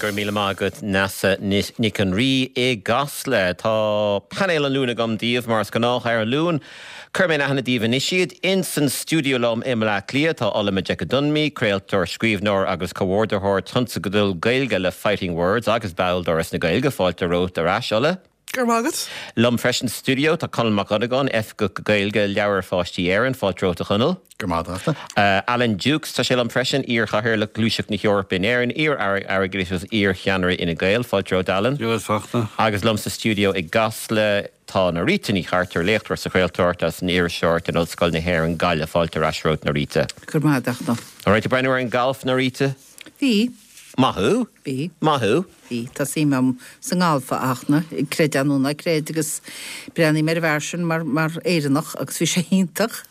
Go raibh míle maith agat Neasa Nic an Rí i gCasla. Tá painéal an Luain agam daoibh mar is gnách ar an Luan. Cuirfidh mé in aithne daoibh anois iad. Ins an stiúideo liom i mBleá Cliath tá Ola Majekodunmi, craoltóir, scríbhneoir agus comhordaitheoir tionscadal Gaeilge le Fighting Words agus ball d'Fhoras na Gaeilge. Fáilte romhat ar ais, Ola. Go raibh maith agat. Liom freisin sa stiúideo tá Conall Mac Dhonnagáin, Oifigeach Gaeilge Leabhair Pháistí Éireann. Fáilte romhat a Chonaill. Go raibh maith agat a. Alan Dukes, tá sé liom freisin, iar-Chathaoirleach Ghluaiseacht na hEorpa in Éirinn, iar-Aire Airgeadais agus iar-Cheannaire Fhine Gael. Fáilte romhat Alan. Dia dhuit, Fachtna. Agus liom sa stiúideo i gCasla tá Norita Ní Chartúir, léachtóir sa chraoltóireacht agus san iriseoireacht in Ollscoil na hÉireann, Gaillimh. Fáilte ar ais romhat Norita. Go raibh maith agat a Fhachtna. An raibh tú ag breathnú ar an galf, Norita? Bhí. Maith thú! Bhí. Maith thú! Bhí. Tá suim agam sa ngalf, a Fhachtna, creid é nó ná creid, agus breathnaím ar an bhfear sin mar, mar Éireannach agus bhí sé iontach.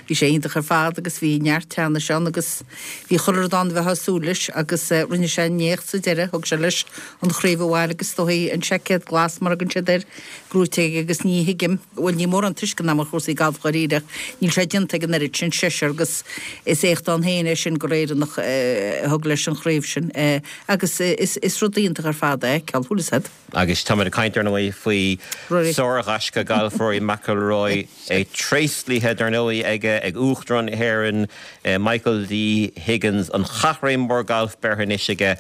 Bhí sé iontach ar fad agus bhí neart teannais ann agus bhí chuile rud ann a bheifeá ag súil leis agus rinne sé an éacht sa deireadh, thug sé leis an chraobh abhaile agus is dóigh an seaicéad glas mar a thugann siad air, gnóite aige agus ní thuigim, bhuel níl mórán tuisceana agam ar chúrsaí gailf dháiríre ach níl sé déanta ag an oiread sin seisear agus is éacht ann féin é sin gur Éireannach a thug leis an chraobh sin agus is rud iontach ar fad é, ceol thuas iad. Agus táimid ag caint ar ndóigh faoi sár-ghaisce gailf Rory McIlroy, é tréaslaithe dar ndóigh aige ag Uachtarán na hÉireann Michael D Higgins, an chaithréim mhór gailf beirthe anois aige.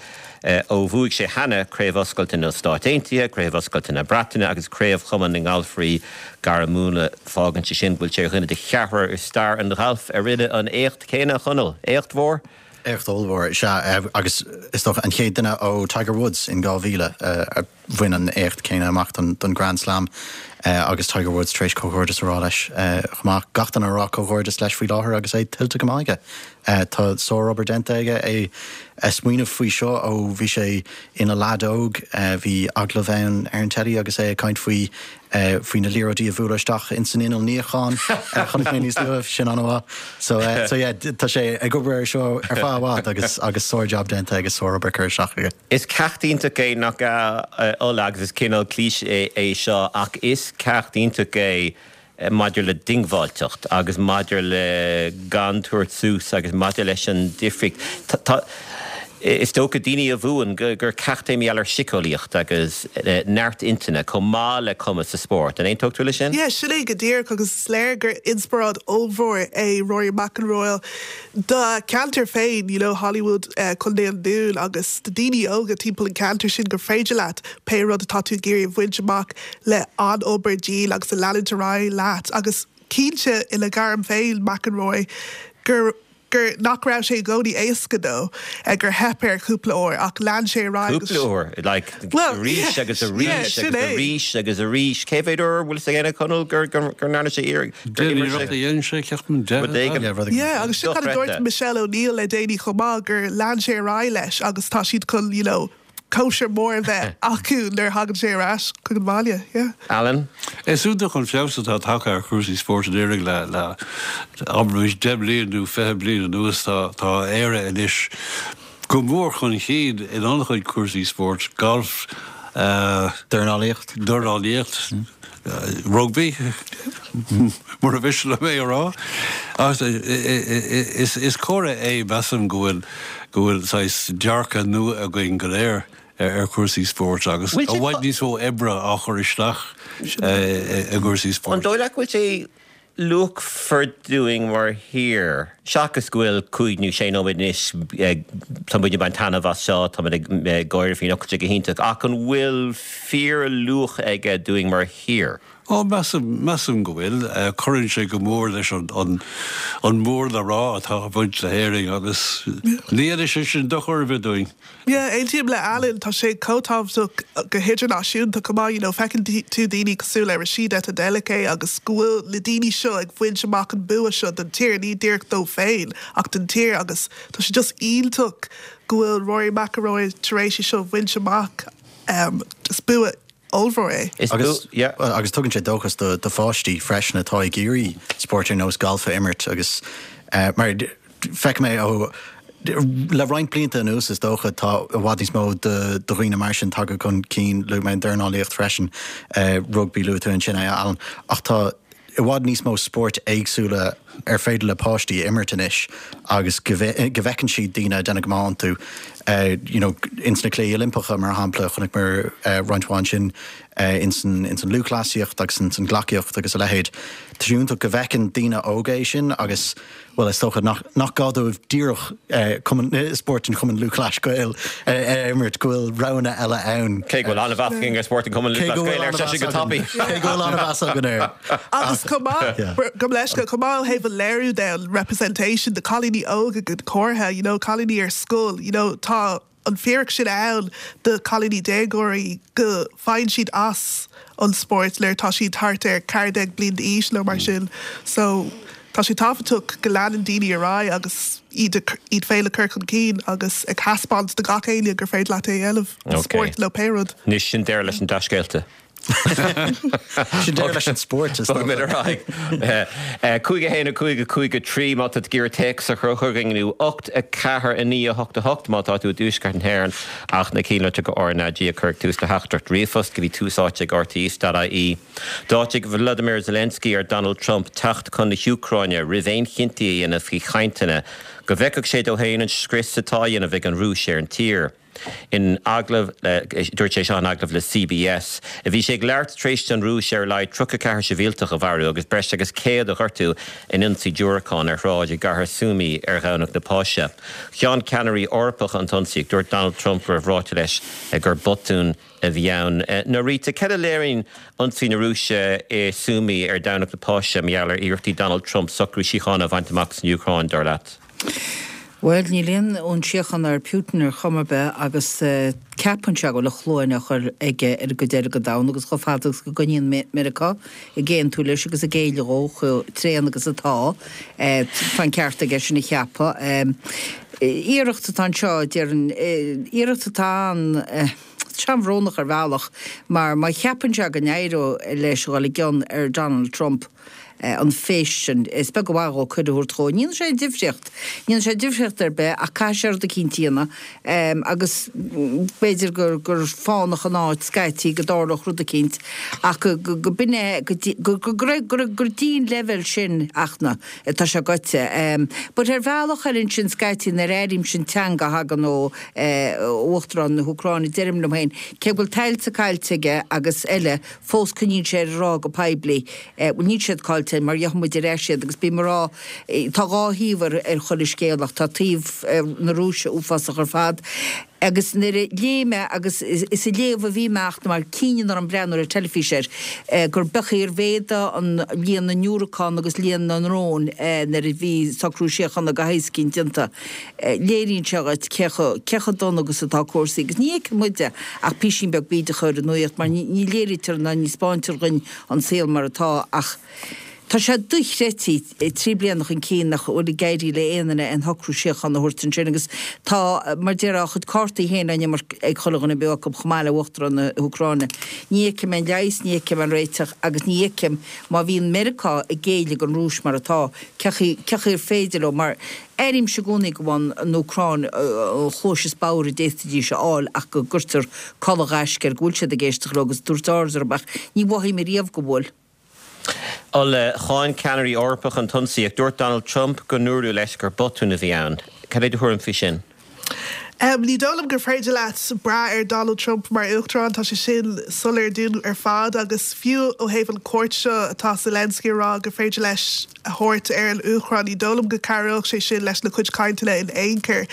Ó bhuaigh sé cheana Craobh Oscailte na Stát Aontaithe, Craobh Oscailte na Breataine agus Craobh Chumann na nGalfairí Gairmiúla, fágann sé sin go bhfuil sé ar dhuine de cheathrar i stair an ghailf a rinne an éacht céanna, a Chonaill. Éacht mhór? Éacht ollmhór, sea, agus is dócha an chéad duine ó Tiger Woods in 2000 a bhain an éacht céanna amach don Grand Slam agus Tiger Woods tar éis comhghairdeas a rá leis chomh maith. Gach duine ag rá comhghairdeas leis faoi láthair agus é tuillte go maith aige. Tá sárobair déanta aige, é ag smaoineamh faoi seo ó bhí sé ina leaid óg. Bhí agallamh ann ar an teilí agus é ag caint faoi faoi na liathróidí a bhualadh isteach ins an inneall níocháin. Chonaic mé níos luaithe, sin an-mhaith. So so yeah, tá sé ag obair ar seo ar feadh i bhfad agus agus sár-jab déanta aige, sárobair curtha isteach aige. Is ceacht iontach é, nach ea, a Ola, agus is cineál cliché é seo, ach is ceacht iontach é maidir le diongbháilteacht agus maidir le gan tabhairt suas agus maidir leis an difríocht. Tá, is dócha, daoine a bhuann, gur ceacht é mar gheall ar síceolaíocht agus neart intinne chomh maith le cumas sa spórt. An aontódh tú leis sin? Yeah, sin é go díreach agus is léir gur inspioráid ollmhór é Rory McIlroy do cheantar féin, you know, Holywood, Contae an Dúin agus do daoine óga timpeall an ceantar sin gur féidir leat pé rud atá tú ag iarraidh a bhaint amach le an-obair dian agus a leanúint ar aghaidh leat agus cinnte ina ghairm féin, McIlroy, gur gur nach raibh sé i gcónaí éasca dó, gur theip air cúpla uair ach lean sé ar aghaidh agus. Cúpla uair? Like, arís agus arís agus arís agus arís. Cé mhéad uair, bhfuil fhios ag éinne, Conall, gur gur ndearna sé iarraidh, gur imir sé? Deich n-iarracht a dhein sé, ceapaim, deich. Rud éigin. Yeah, rud éigin. Yeah, agus sin cad a dúirt Michelle O'Neill le déanaí chomh maith, gur lean sé ar aghaidh leis agus tá siad chun, you know, cóisir mór a bheith acu nuair a thagann sé ar ais chuig an bhaile. Yeah. Alan? Is iontach an feabhas atá tagtha ar chúrsaí spóirt in Éirinn le, le, abraimis, 10 bliain nó 20 bliain anuas. Tá, tá Éire anois go mór chun cinn in an-chuid cúrsaí spóirt, galf, eh. Dornálaíocht. Dornálaíocht. Rugbaí, mura mhiste liom é a rá. Ach is comhartha é, measaim, go bhfuil, go bhfuil saghas dearcadh nua againn go léir ar chúrsaí spóirt agus i bhfad níos mó oibre á chur isteach i gcúrsaí spóirt. An dóigh leat go bhfuil sé luachmhar dúinn mar thír, seachas go bhfuil cúig nó sé nóiméad anois, tá muid ag baint taitneamh as seo, tá muid ag gáire faoin tá sé go hiontach, ach an bhfuil fíorluach aige dúinn mar thír? Ó, measaim, measaim go bhfuil. Cuireann sé go mór leis an, an, an mór le rá atá ag baint le hÉirinn agus ní dhéanfaidh sé sin dochar ar bith dúinn. Yeah, aontaím le Alan, tá sé chomh tábhachtach go hidirnáisiúnta chomh maith, you know, feiceann tú daoine cosúil le Rhasidat Adeleke agus go bhfuil na daoine seo ag baint amach an bua seo don tír, ní díreach dóibh féin ach don tír agus tá sé just iontach go bhfuil Rory McIlroy tar éis é seo a bhaint amach, is bua ollmhór é. Is Agus, yeah. agus tugann sé dóchas do, do pháistí freisin atá ag iarraidh spórt ar nós galf a imirt agus eh, mar feicim é ó le roinnt blianta anuas is dócha tá i bhfad níos mó de de dhaoine mar sin tagtha chun cinn, luaigh mé an dornálaíocht freisin, eh, rugbaí luaigh tú ansin é Alan, ach tá. i bhfad níos mó spóirt éagsúla ar féidir le páistí a imirt anois agus go bhfeiceann siad daoine ag déanamh go maith iontu. You know, ins na Cluichí Oilimpeacha, mar shampla, chonaiceamar roinnt mhaith ansin ins an ins an lúthchleasaíocht agus ins an gleacaíocht agus a leithéid. Tá sé iontach go bhfeiceann daoine óga é sin agus, bhuel, is dócha nach nach gá dóibh díreach cumann spórt an Chumainn Lúthchleas Gael a imirt, go bhfuil roghanna eile ann. Cé go bhfuil an-mheas againn ar spórt an Chumainn Lúthchleas Gael, ar seisean go tapaidh. Cé go bhfuil an-mheas againn air. Agus chomh maith, gabh mo leithscéal, chomh maith ó thaobh an léiriú de, an representation de cailíní óga go háirithe, you know, cailíní ar scoil, you know, tá an fíric sin ann do cailíní déagóirí go bhfaigheann siad as an spórt nuair atá siad thart ar 14 bliain d'aois nó mar sin. So tá sé tábhachtach go leanann daoine ar aghaidh agus iad iad féin a chur chun cinn agus ag thaispeáint do gach éinne gur féidir leat é a dhéanamh, spórt nó pé rud. Anois sin deireadh leis an dea-scéalta. Sin deireadh leis an spórt, is dócha. Bogfaimid ar aghaidh. 5 1 5 5 3 má tá tú ag iarraidh téacs a chur chugainn nó 8 4 9 8 8 má tá tú i dtuaisceart na hÉireann ach na cinnlitreacha RnaG a chur ag tús do theachtaireacht ríomhphost go dtí tús áite ag rte.ie. D'áitigh Volodymyr Zelensky ar Donald Trump teacht chun na hÚcráine roimh aon chinntí a dhéanamh faoi chainteanna go bhfeicfeadh sé dó féin an scrios atá á dhéanamh ag an Rúis ar an tír. In agallamh le, dúirt sé seo in agallamh le CBS. Bhí sé ag labhairt tar éis don Rúis ar a laghad 34 sibhialtach a mharú agus breis agus 100 a ghortú in ionsaí diúracán ar shráid i gcathair Sumy ar Dhomhnach na Páise. Cháin ceannairí Eorpacha an t-ionsaí ach dúirt Donald Trump go raibh ráite leis gur botún a bhí ann. Norita, cad a léiríonn ionsaí na Rúise i Sumy ar Dhomhnach na Páise mar gheall ar iarrachtaí Donald Trump socrú síochána a bhaint amach san Úcráin, dar leat? Bhuel, níl aon fhonn síochána ar Putin ar chuma ar bith agus ceapann sé go bhfuil a shluain á chur aige ar an gcuid eile den domhan agus chomh fada agus go gcoinníonn Meiriceá ag aontú leis agus ag géilleadh dhó chomh tréan agus atá, tá an ceart aige sin a cheapadh. Iarracht atá anseo, déarfainn, iarracht atá ann, an-bhrónach ar bhealach mar má cheapann sé go n-éireoidh leis a dhul i gcion ar Donald Trump, an phéist sin. Is beag an mhaith dhó cuireadh a thabhairt dhó. Ní dhéanfaidh sé aon difríocht. Ní dhéanfaidh sé difríocht ar bith ach caithfidh sé rud eicínt a dhéanamh agus b'fhéidir gur gur fánach an áit scaití go dtarlódh rud eicínt ach go go b'in é go dtí go go go go go dtí an leibhéal sin Fhachtna atá sé gaibhte. But ar bhealach eile ansin scaití nuair a airímse an teanga a thagann ó Uachtarán na hÚcráine deirim liom féin cé go bhfuil tailte caillte aige agus eile fós coinníonn sé air ag rá go poiblí, bhuel níl siad caillte mar gheobhaidh muid ar ais iad agus bím ag rá, tá dhá thaobh ar ar chuile scéal ach tá taobh na Rúise uafásach ar fad agus nuair a léigh mé agus is ag léamh a bhí mé ach mar cinneadh orm breathnú ar an teilifís air gur beag ar mhéadaigh an líon na ndiúracán agus líon na ndrón nuair a bhí socrú síochána de shaghas eicínt déanta. Léiríonn sé dhuit cé chomh, cé chomh dona agus atá cúrsaí agus ní fheiceann muide ach písín beag bídeach ar an nuaíocht mar ní, ní léirítear ná ní 'spáintear dhuinn an saol mar atá ach tá sé dochreidte 3 bliana chun cinn nach bhfuil ag éirí le aon duine aon shocrú síochána a thabhairt ansin agus tá, mar déarfá, a chuid cártaí féin á n-imirt ag chuile dhuine beo acu chomh maith le Uachtarán na hÚcráine. Ní fheicim aon leigheas, ní fheicim aon réiteach agus ní fheicim má bhíonn Meiriceá ag géilleadh don Rúis mar atá, cé chaoi, cé chaoi ar féidir leo mar Airímse i gcónaí go bhfaigheann an Úcráin an chluais is bodhar a d'fhéadfaidís a fháil ach go gcuirtear culaith ghaisce air, go bhfuil siad ag éisteacht leo agus ag tabhairt aird orthu ach ní mhothaím ariamh go bhfuil. Ola, cháin ceannairí Eorpacha an t-ionsaí ach dúirt Donald Trump go ndúradh leis gur botún a bhí ann. Cad é do thuairim faoi sin? Ní dóigh liom gur féidir leat brath ar Donald Trump mar Uachtarán, tá sé sin soiléir dúinn ar fad agus fiú ó thaobh an cuairt seo atá Zelensky a rá gur féidir leis a thabhairt ar an Úcráin, ní dóigh liom go cabhródh sé sin leis na cuid cainteanna in aon chor.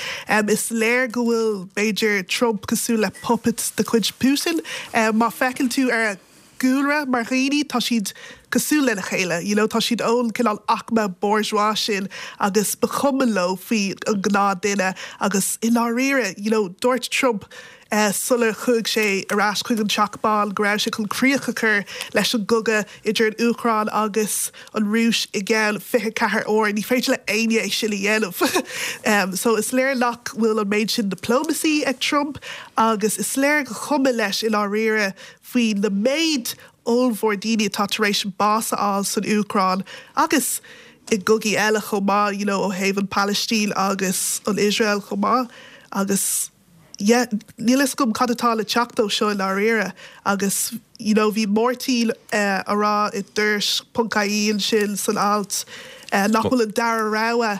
Is léir go bhfuil, b'fhéidir, Trump cosúil le puppet de chuid Putin. Má feiceann tú ar a gcúlra mar dhaoine, tá siad cosúil lena chéile, you know, tá siad ón cineál aicme bourgeois sin agus ba chuma leo faoi an gnáth duine agus i ndáiríre, you know, dúirt Trump sular chuaigh sé ar ais chuig an Teach Bán go raibh sé chun críoch a chur leis an gcogadh idir an Úcráin agus an Rúis i gceann 24 uair. Ní féidir le éinne é sin a dhéanamh. So is léir nach bhfuil an méid sin diplomacy ag Trump agus is léir gur chuma leis i ndáiríre faoi na méid ollmhór daoine atá tar éis bás a fháil san Úcráin agus i gcogaí eile chomh maith, you know, ó thaobh an Phalaistín agus an Iosrael chomh maith agus. yeah, níl fhios agam cad atá le teacht ó seo i ndáiríre agus you know bhí Máirtín a rá i dTuairisc ponc ie ansin san alt nach bhfuil an dara rogha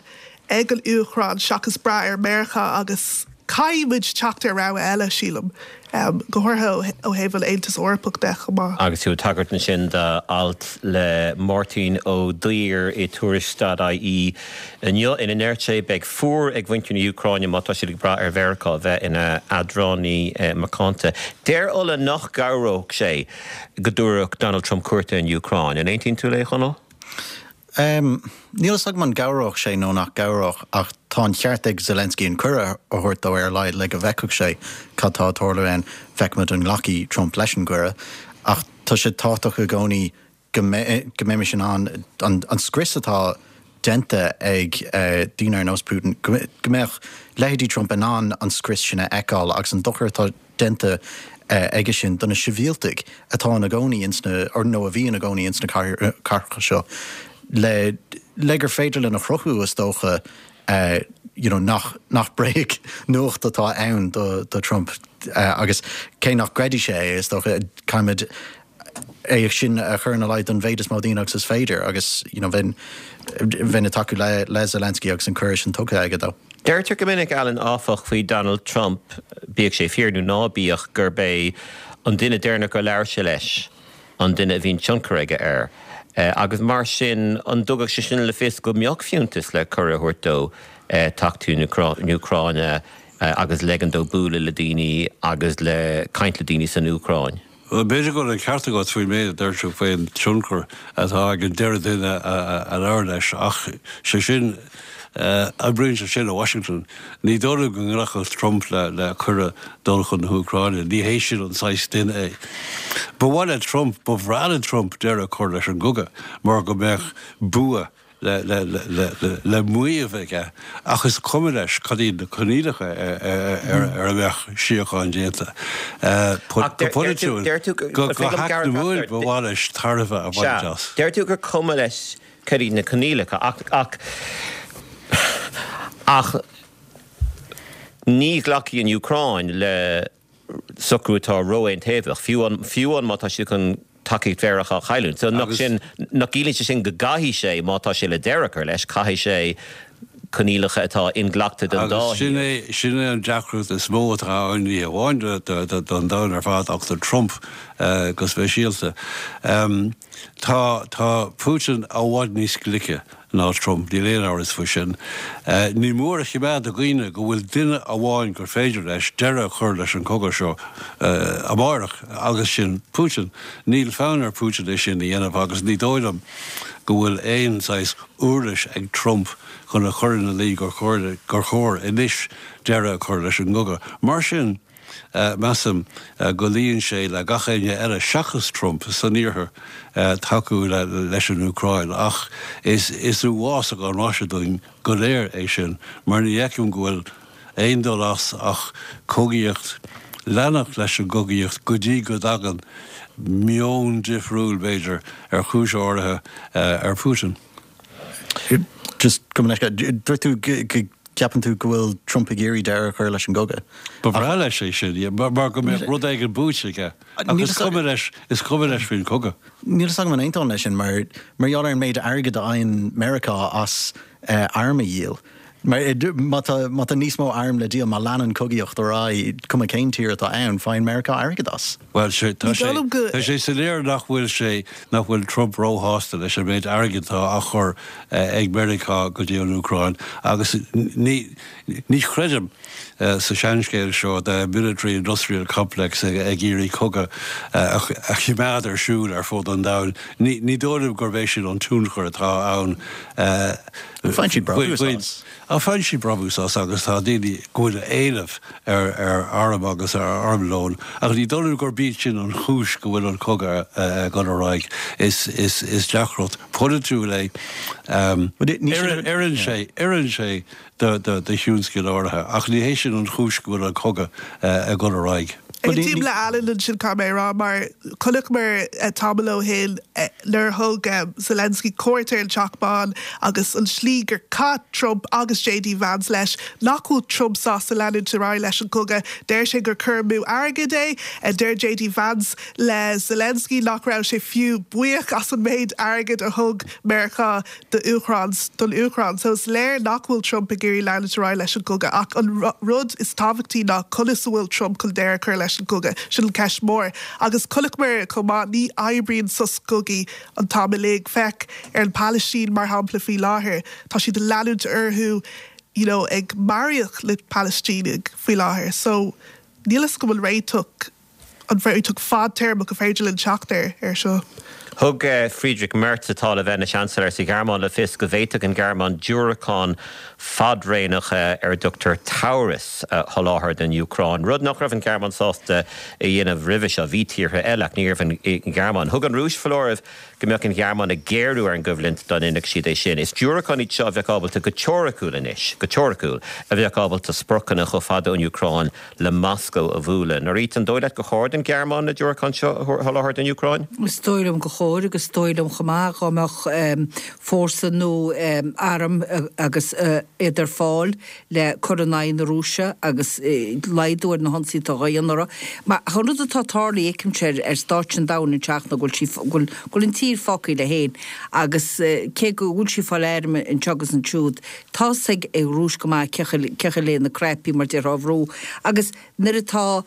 ag an Úcráin seachas brath ar Meiriceá agus caithfidh muid teacht ar rogha eile, sílim, go háirithe ó thaobh an Aontas Eorpach de chomh maith. Agus tú ag tagairt ansin d'alt le Máirtín Ó Duibhir i Tuairisc dot ie inniu ina ndeirt sé beidh fuar ag mhuintir na hÚcráine má tá siad ag brath ar Mheiriceá bheith ina eadránaí macánta. Deir Ola nach gcabhródh sé go dtabharfadh Donald Trump cuairt ar an Úcráin. An aontaíonn tú léi, a Chonaill? Níl fhios agam an gcabhródh sé nó nach gcabhródh ach tá an cheart ag Zelensky an cuireadh a thabhairt dó ar a laghad le go bhfeicfeadh sé cad tá ag tarlú ann. Feicfimid an nglacfaidh Trump leis an gcuireadh. Ach tá sé tábhachtach i gcónaí go mbeimis in ann an scrios atá déanta ag daoine ar nós Putin, go mbeadh leithéidí Trump in ann an scrios sin a fheiceáil agus an dochar atá déanta aige sin do na sibhialtaigh atá ina gcónaí ins na, nó a bhí ina gcónaí ins na cathracha seo, le, le gur féidir linn a chruthú, is dócha, you know, nach, nach bréag nuacht atá ann do, do Trump agus cé nach gcreidfidh sé é, is dócha, caithfimid é sin a chur ina luí don mhéid is mó daoine agus is féidir agus, you know, bheinn, bheinn ag tacú le, le Zelensky agus an cuireadh sin tugtha aige dó. Deirtear go minic, Alan, áfach, faoi Donald Trump, bíodh sé fíor nó ná bíodh, gurb é an duine deireanach gur labhair sé leis an duine a bhíonn tionchar aige air. Agus mar sin, an dtugadh sé sin le fios go mbeadh fiúntas le cuireadh a thabhairt dó teacht chun na hÚcráine agus leigean dó bualadh le daoine agus le caint le daoine san Úcráin? Bhuel, b'fhéidir go bhfuil an ceart agat faoin méid a deir tú faoin tionchar atá ag an deireadh duine a labhair leis, ach sé sin, oibríonn sé sin i Washington. Ní dóigh liom go nglacfadh Trump le cuireadh dul chun na hÚcráine. Ní hé sin an saghas duine é. Ba mhaith le Trump, ba bhreá le Trump deireadh a chur leis an gcogadh mar go mbeadh bua le maíomh aige ach is cuma leis cad iad na coinníollacha ar a mbeadh síocháin déanta. Go polaitiúil, go heacnamúil ba mhaith leis tairbhe a bhaint as. Deir tú gur cuma leis cad iad na coinníollacha ach ach ní ghlacfaidh an Úcráin le socrú atá ró-aontaobhach, fiú an, fiú an má tá siad chun tacaíocht Mheiriceá a chailliúint. So nach sin, nach gciallaíonn sé sin go gcaithfidh sé, má tá sé le deireadh a chur leis, caithfidh sé coinníollacha atá inghlactha don dá Agus sin é, sin é an deacracht is mó atá ann, ní hamháin don domhan ar fad ach do Trump go speisialta. Tá, tá Putin i bhfad níos glice ná Trump, níl aon amhras faoi sin. Ní mór a choimeád i gcuimhne go bhfuil duine amháin gur féidir leis deireadh a chur leis an gcogadh seo amárach, agus sin Putin. Níl fonn ar Putin é sin a dhéanamh agus ní dóigh liom go bhfuil aon saghas uirlis ag Trump chun a chur ina luí gur gur chóir anois deireadh a chur leis an gcogadh. Mar sin. Measaim go luíonn sé le gach éinne eile seachas Trump san iarthar tacú leis an Úcráin ach is uafásach an mhaise dúinn go léir é sin mar ní fheicim go bhfuil aon dul as ach cogaíocht, leanacht leis an gcogaíocht go dtí go dtagann meon difriúil, b'fhéidir, ar chúis áirithe ar Putin. Just gabh mo leithscéal, dúirt tú go gceapann tú go bhfuil Trump ag iarraidh deireadh a chur leis an gcogadh. Ba bhreá leis é sin, mar go mbeadh rud éigin buaite aige. Ach is cuma leis, is cuma leis faoin chogadh. Níl fhios agam an aontóinn leis sin, mar mar gheall ar an méid airgid a fhaigheann Meiriceá as airm a dhíol. Mar má tá má tá níos mó arm le díol, má leanann cogaíocht ar aghaidh, cuma cén tír atá ann, faigheann Meiriceá airgead as. Bhuel, sé, tá sé, tá sé soiléir nach bhfuil sé, nach bhfuil Trump róshásta leis an méid airgid atá á chur ag Meiriceá go dtí an Úcráin agus ní, ní chreidim sa seanscéal seo de military industrial complex ag iarraidh cogadh a choimeád ar siúl ar fud an domhain. Ní, ní dóigh liom gurb é sin an tionchar atá ann. Faigheann siad brabús as. Faigheann siad brabús as agus tá daoine go bhfuil éileamh ar airm agus ar armlón ach ní dóigh liom gurb iad sin an chúis go bhfuil an cogadh ag dul ar aghaidh. Is deacracht pholaitiúil é. Oireann sé, oireann sé. do thionscail áirithe. Ach ní hé sin an chúis go bhfuil an cogadh ag dul ar aghaidh. Aontaím le Alan ansin, caithfidh mé a rá, mar chonaiceamar tamall ó shin nuair a thug Zelensky cuairt ar an Teach Bán agus an slí gur chaith Trump agus JD Vance leis, nach bhfuil Trump sásta leanúint ar aghaidh leis an gcogadh. Deir sé gur cur amú airgid é. Deir JD Vance le Zelensky nach raibh sé fiú buíoch as an méid airgid a thug Meiriceá do Úcráin, don Úcráin. So is léir nach bhfuil Trump ag iarraidh leanúint ar aghaidh leis an gcogadh. Ach an rud is tábhachtaí ná conas a bhfuil Trump chun deireadh a chur leis an gcogadh. Sin an ceist mhór. Agus chonaiceamar chomh maith, ní oibríonn sos cogaidh an t-am uilig. Féach ar an Phalaistín mar shampla faoi láthair. Tá siad ag leanúint orthu you know ag maraíocht le Palaistínigh faoi láthair. So níl fhios agam an réiteach an réiteach fadtéarmach an féidir linn teacht air air seo. Thug Friedrich Merz, atá le bheith ina Seansailéir sa Ghearmáin, le fios go bhféadfadh an Ghearmáin diúracáin fadréimeacha ar a dtugtar Taurus a sholáthar don Úcráin, rud nach raibh an Ghearmáin sásta a dhéanamh roimhe seo. Bhí tíortha eile, ach ní raibh an Ghearmáin. Thug an Rúis foláireamh go mbeadh an Ghearmáin ag géarú ar an gcoimhlint dá ndéanfadh siad é sin. Is diúracáin iad seo a bheadh ábalta go teoiriciúil anois, go teoiriciúil, a bheadh ábalta spriocanna chomh fada ón Úcráin le Moscó a bhualadh. Norita, an dóigh leat gur chóir don Ghearmáin na diúracáin seo a sholáthar don Úcráin? Is dóigh liom gur chóir agus is dóigh liom chomh maith dhá mbeadh fórsa nó arm agus iad ar fáil le cur in aghaidh na Rúise agus laghdú ar na hionsaithe atá á dhéanamh orthu. Mar an rud atá tarlaithe, feicimse ar stáitse an domhain anseo ná go bhfuil sí, go bhfuil an tír fágtha léi féin agus cé go bhfuil sí ag fáil airm anseo agus ansiúd, tá's ag an Rúis go maith cé chaoi le na cnaipí mar déarfá a bhrú agus nuair atá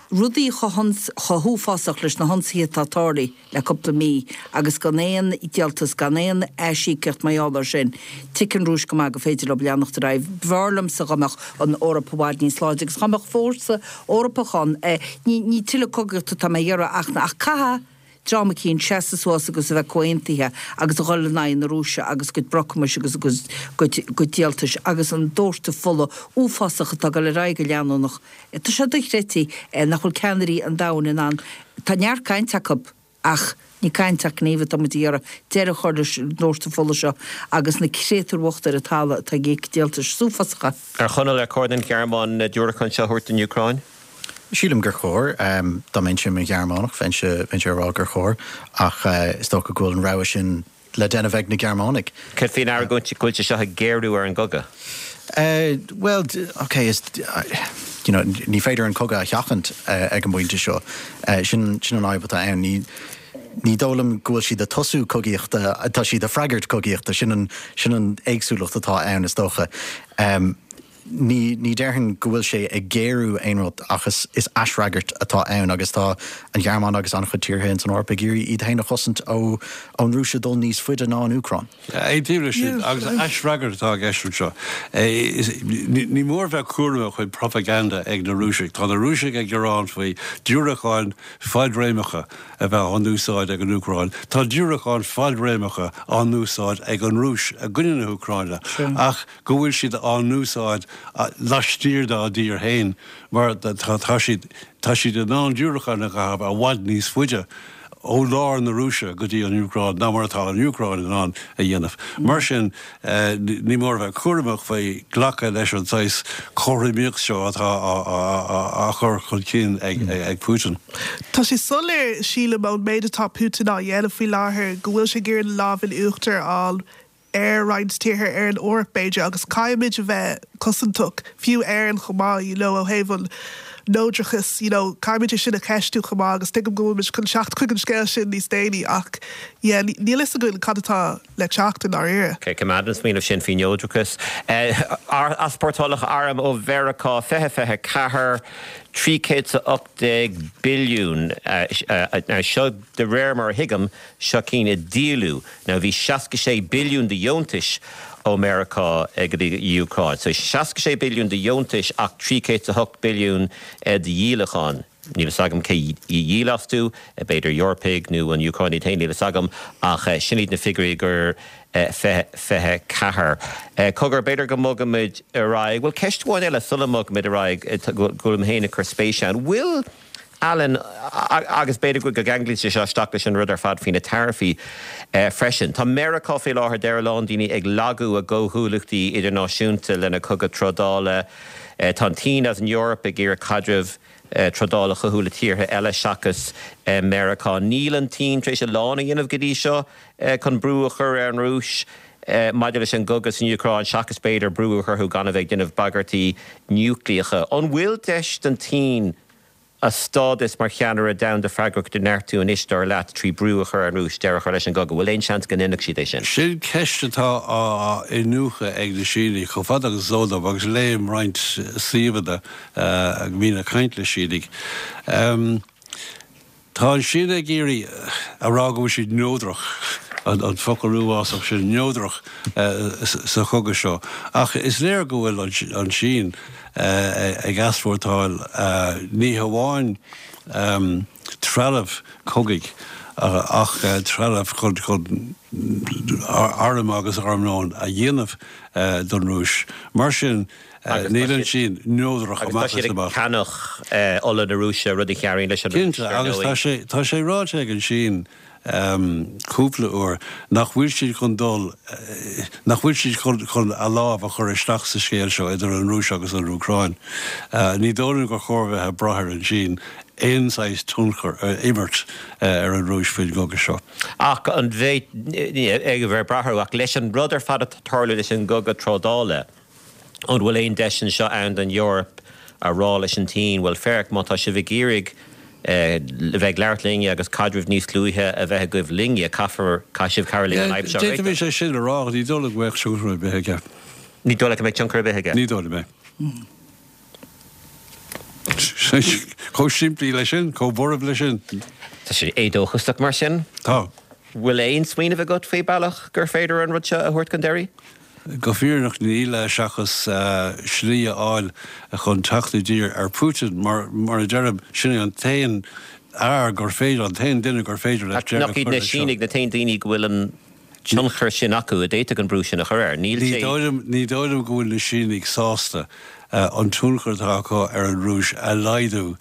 rudaí chomh huafásach leis na hionsaithe atá tarlaithe le cúpla mí agus gan aon díoltas, gan aon aisíocaíocht mar gheall air sin, tuigeann an Rúis go maith gur féidir leo leanacht ar aghaidh. B'fhearr liomsa dá mbeadh an Eoraip i bhfad níos láidre agus dá mbeadh fórsa Eorpach ann. Ní tuilleadh cogaíochta atá mé a iarraidh ach ach caithfidh dream eicínt seasamh suas agus a bheith comhaontaithe agus a dhul in aghaidh na Rúise agus a gcuid brocamais agus a gcuid díoltais agus an dóirteadh fola uafásach atá ag dul ar aghaidh go leanúnach. Tá sé dochreidte nach bhfuil ceannairí an domhain in ann, tá neart cainte acu ach ní caint ach gníomh atá muid a iarraidh, deireadh a chur leis an dóirteadh fola seo agus na créatúir bhochta ar an talamh atá ag íoc díoltais uafásacha. A Chonaill, ar chóir don Ghearmáin na diúracáin seo a thabhairt don Úcráin? Sílim gur chóir. Dá mbeinnse i mo Ghearmánach, bheinnse ag rá gur chóir, ach is dócha go bhfuil an rogha sin le déanamh ag na Gearmánaigh. Céard faoin argóint go bhfuil sé seo ag géarú ar an gcogadh? Bhuel, ok, is, you know, ní féidir an cogadh a sheachaint ag an bpointe seo. Sin, sin an fhadhb atá ann. Ní, ní dóigh liom go bhfuil siad ag tosú cogaíochta, tá siad ag freagairt cogaíochta. Sin an, sin an éagsúlacht atá ann, is dócha. Ní, ní déarfainn go bhfuil sé ag géarú aon rud ach is, is aisfhreagairt atá ann agus tá an Ghearmáin agus an-chuid tíortha ins an Eoraip ag iarraidh iad féin a chosaint ó, ón Rúis ag dul níos faide ná an Úcráin. Aontaím leis sin agus aisfhreagairt atá i gceist anseo. Ní, ní mór bheith cúramach faoi propaganda ag na Rúisigh. Tá na Rúisigh ag gearán faoi diúracáin fadréimeacha a bheith á n-úsáid ag an Úcráin. Tá diúracáin fadréimeacha á n-úsáid ag an Rúis i gcoinne na hÚcráine ach go bhfuil siad á n-úsáid laistiar dá dtír féin mar tá siad tá siad in ann diúracáin a chaitheamh i bhfad níos faide ó lár na Rúise go dtí an Úcráin ná mar atá an Úcráin in ann a dhéanamh. Mar sin, ní mór a bheith cúramach faoi glacadh leis an saghas cothromaíocht seo atá á chur chun cinn ag Putin. Tá sé soiléir, sílim, ón méid atá Putin á dhéanamh faoi láthair go bhfuil sé ag iarraidh an lámh in uachtar a fháil ar roinnt tíortha, ar an Eoraip b'fhéidir, agus caithfimid a bheith cosantach, fiú Éirinn chomh maith, you know, ó thaobh an neodrachas, you know, caithfimid é sin a cheistiú chomh maith agus tuigim go bhfuilmid chun teacht chuig an scéal sin níos déanaí ach yeah, níl fhios againn cad atá le teacht i ndáiríre. Ok, coimeád an smaoineamh sin faoi neodrachas. Easpórtálacha arm ó Mheiriceá 2024, 318 billiún, now seo de réir mar a thuigim, Seo cinn a díoladh. Now bhí 66 billiún de dheontais ó Meiriceá go dtí an Úcráin. So 66 billiún de dheontais ach 308 billiún de dhíolacháin. Níl fhios agam cé a dhíol astu, b'fhéidir Eorpaigh nó an Úcráin iad féin, níl fhios agam, ach sin iad na figiúirí gur 24. Cogar, b'fhéidir go mbogfaimid ar aghaidh. Bhuel, ceist amháin eile sula mbogfaimid ar aghaidh, go bhfuilim féin ag cur spéise ann. Bhfuil. Alan, agus b'fhéidir go gceanglaíonn sé seo isteach leis an rud ar fad faoi na taraifí freisin. Tá Meiriceá faoi láthair, deir a lán daoine, ag lagú a gcomhghuaillíochtaí idirnáisiúnta lena cogadh trádála. Tá an tSín agus an Eoraip ag iarraidh caidreamh trádála a chothú le tíortha eile seachas Meiriceá. Níl an tSín tar éis a lán a dhéanamh go dtí seo chun brú a chur ar an Rúis maidir leis an gcogadh san Úcráin seachas b'fhéidir brú a chur orthu gan a bheith ag déanamh bagairtí núicléacha. An bhfuil deis don tSín a stádas mar cheannaire domhanda freagrach a neartú anois, dar leat, trí brú a chur ar an Rúis deireadh a chur leis an gcogadh? Bhfuil aon seans go ndéanfadh siad é sin? Sin ceist atá á iniúchadh ag na Sínigh chomh fada agus is eol dom, agus léim roinnt suíomhanna a mbíonn ag caint le Sínigh. Tá an Sín ag iarraidh a rá go bhfuil siad neodrach, an focal uafásach sin, neodrach, sa chogadh seo. Ach is léir go bhfuil an tSín ag easpórtáil ní hamháin trealamh cogaidh ach trealamh chun airm agus armlón a dhéanamh don Rúis. Mar sin, Níl an tSín neodrach amach is amach. Agus tá siad ag ceannach ola na Rúise, rud a chabhraíonn leis an Rúis, dar ndóigh. Cinnte, agus tá sé ráite ag an tSín cúpla uair nach bhfuil siad chun dul, nach bhfuil siad chun a lámh a chur isteach sa scéal seo idir an Rúis agus an Úcráin. Ní dóigh liom gur chóir bheith ag brath ar an tSín aon saghas tionchar a imirt ar an Rúis faoin gcogadh seo. Ach an bheith ag brath orthu, ach leis an rud ar fad atá ag tarlú leis an gcogadh trádála, An bhfuil aon deis anseo ann don Eoraip a rá leis an tSín, bhuel féach, má tá sibh ag iarraidh a bheith ag labhairt linne agus caidreamh níos dlúithe a bheith agaibh linne, caithfear, caithfidh sibh cabhrú linn an fhadhb seo a réiteach. D'fhéadfaimis é sin a rá ach ní dóigh liom go mbeadh tionchar ar bith aige. Ní dóigh leat go mbeidh tionchar ar bith aige? Ní dóigh liom é. Chomh simplí leis sin, chomh borb leis sin. Tá sé éadóchasach mar sin. Tá. Bhfuil aon smaoineamh agat faoi bealach gur féidir an rud seo a thabhairt chun deiridh? Go fírinneach níl, seachas slí a fháil chun teacht i dtír ar Putin, mar, mar a deirim, sin é an t-aon fhear gur féidir, an t-aon duine gur féidir leis deireadh a chur leis seo. Nach iad na Sínigh na t-aon daoine go bhfuil an tionchar sin acu a d'fhéadfadh an brú sin a chur air? Níl sé. Ní dóigh liom go bhfuil na Sínigh sásta an tionchar atá acu ar an Rúis a laghdú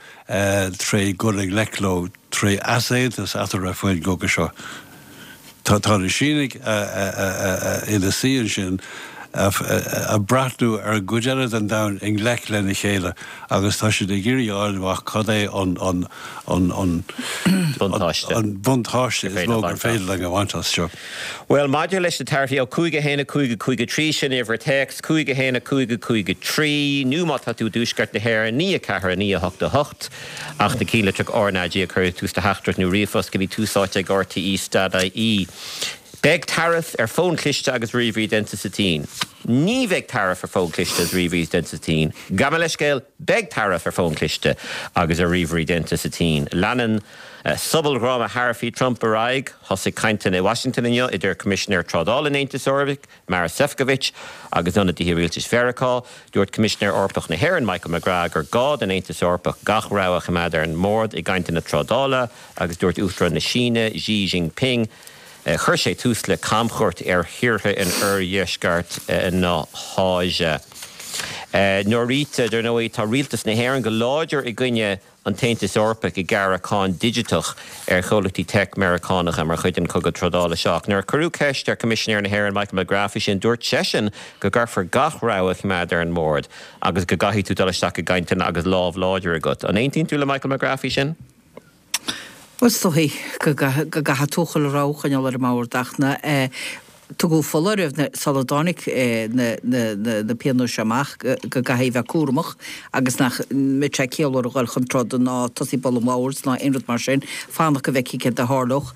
tré dhul i ngleic leo, tré easaontas eatarthu faoin gcogadh seo. Tá na Sínigh ina suí ansin ag breathnú ar an gcuid eile den domhan i ngleic lena chéile agus tá siad ag iarraidh a fháil amach cad é an buntáiste is mó gur féidir linn a bhaint as seo. Bhuel, maidir leis na taraifí, ó 5 1 5 5 3, sin uimhir téacs, 5 1 5 5 3, nó má tá tú i dtuaisceart na hÉireann, 9 4 9 8 8. Ach na cinnlitreach RnaG a chur ag tús do theachtaireacht nó ríomhphost go dtí Tús Áite ag RTÉ stad IE. Beidh taraif ar fóin chliste agus ríomhairí déanta sa tSín. Ní bheidh taraif ar fóin chliste agus ríomhairí déanta sa tSín. Gabh mo leithscéal, beidh taraif ar fóin chliste agus ar ríomhairí déanta sa tSín. Leanann sobaldhráma tharaifí Trump ar aghaidh. Thosaigh cainteanna i Washington inniu idir Coimisinéir Trádála an Aontais Eorpaigh, Maros Sefcovic agus ionadaithe rialtais Mheiriceá. Dúirt Coimisinéir Eorpach na hÉireann, Michael McGrath, gur gá don Aontas Eorpach gach rogha a choimeád ar an mbord i gcainteanna trádála agus dúirt Uachtarán na Síne, Xi Jinping, chuir sé tús le camchuairt ar thíortha in oirdheisceart na hÁise. Norita, dar ndóigh, tá rialtas na hÉireann go láidir i gcoinne an tAontas Eorpach ag gearradh cáin digiteach ar chomhlachtaí teic Meiriceánacha mar chuid den chogadh trádála seo. Ach nuair a cuireadh ceist ar Choimisinéir na hÉireann Michael McGrath faoi sin, dúirt seisean go gcaithfear gach rogha a choimeád ar an mbord agus go gcaithfidh tú dul isteach i gcainteanna agus lámh láidir agat. An aontaíonn tú le Michael McGrath faoi sin? Bhuel, is dóigh go gcaithfidh tú chuile rogha a choinneáil ar an mbord ach na Tugadh foláireamh sula dtáinig na pionóis seo amach go gcaithfí a bheith cúramach agus nach mbeadh sé ciallmhar a dhul chun troda ná tosaí ag bualadh an bhoird ná aon rud mar sin, fanacht go bhfeicfí céard a tharlódh.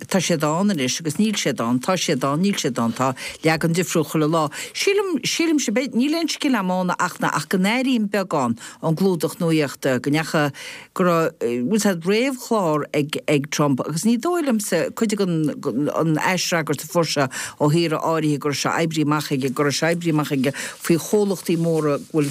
Tá siad ann anois agus níl siad ann, tá siad ann, níl siad ann, tá leagan difriúil chuile lá. Sílim, sílimse, níl aon scil agam ann ach ach go n-airím beagán ón gclúdach nuaíochta go ndeachaigh go raibh, bhfuil a fhios agat, réamhchlár ag ag Trump agus ní dóigh liomsa, cuid den an aisfhreagairt a fuair sé ó thíortha áirithe go raibh sé oibrithe amach aige, go raibh sé oibrithe amach aige faoi chomhlachtaí móra go bhfuil,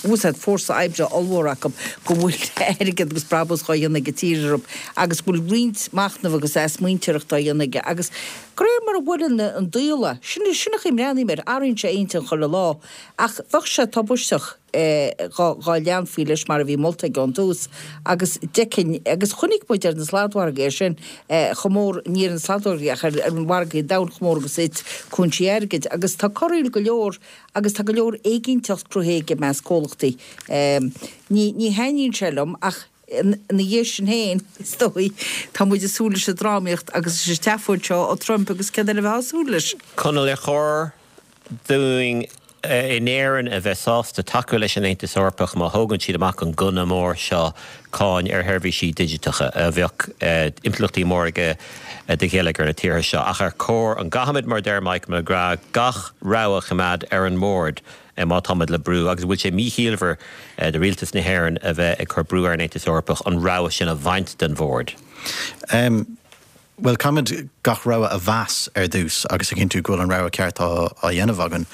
bhfuil a fhios agat, fórsa oibre ollmhór acu, go bhfuil airgead agus brabús dhá dhéanamh ag an tír orthu agus go bhfuil roinnt machnaimh agus athsmaointeoireachta á dhéanamh aige agus. De réir mar a bhuaileann an diabhal é, sin sin an chaoi a mbreathnaím air, athraíonn sé a intinn chuile lá. Ach bheadh sé tubaisteach dhá leanfaí leis mar a bhí molta aige ón tús agus d'fheicfinn, agus chonaic muid ar na sladmhargaí é sin chomh mór, ní ar na sladmhargaí ach ar mhargaí an domhain chomh mór agus a thit cúinsí airgid agus tá corraíl go leor agus tá go leor éiginnteacht cruthaithe aige i measc comhlachtaí. Ní ní thaitníonn sé liom ach ina dhiaidh sin féin, is dóigh, tá muid ag súil leis an drámaíocht agus leis an tseafóid seo ó Trump agus céard eile a bheifeá ag súil leis? Conall, ar chóir dúinn in Éirinn a bheith sásta tacú leis an Aontas Eorpach má thógann siad amach an gunna mór seo, cáin ar sheirbhísí digiteacha, a bheadh impleachtaí móra aige do gheilleagar na tíortha seo. Ach ar chóir, an gcaithfimid, mar a deir Michael McGrath, gach rogha a choimeád ar an mbord má táimid le brú, agus an bhfuil sé míchiallmhar do rialtas na hÉireann a bheith ag cur brú ar an Aontas Eorpach an rogha sin a bhaint den bhord? Bhuel, caithfimid gach rogha a mheas ar dtús agus a chinntiú go bhfuil an rogha ceart á dhéanamh againn.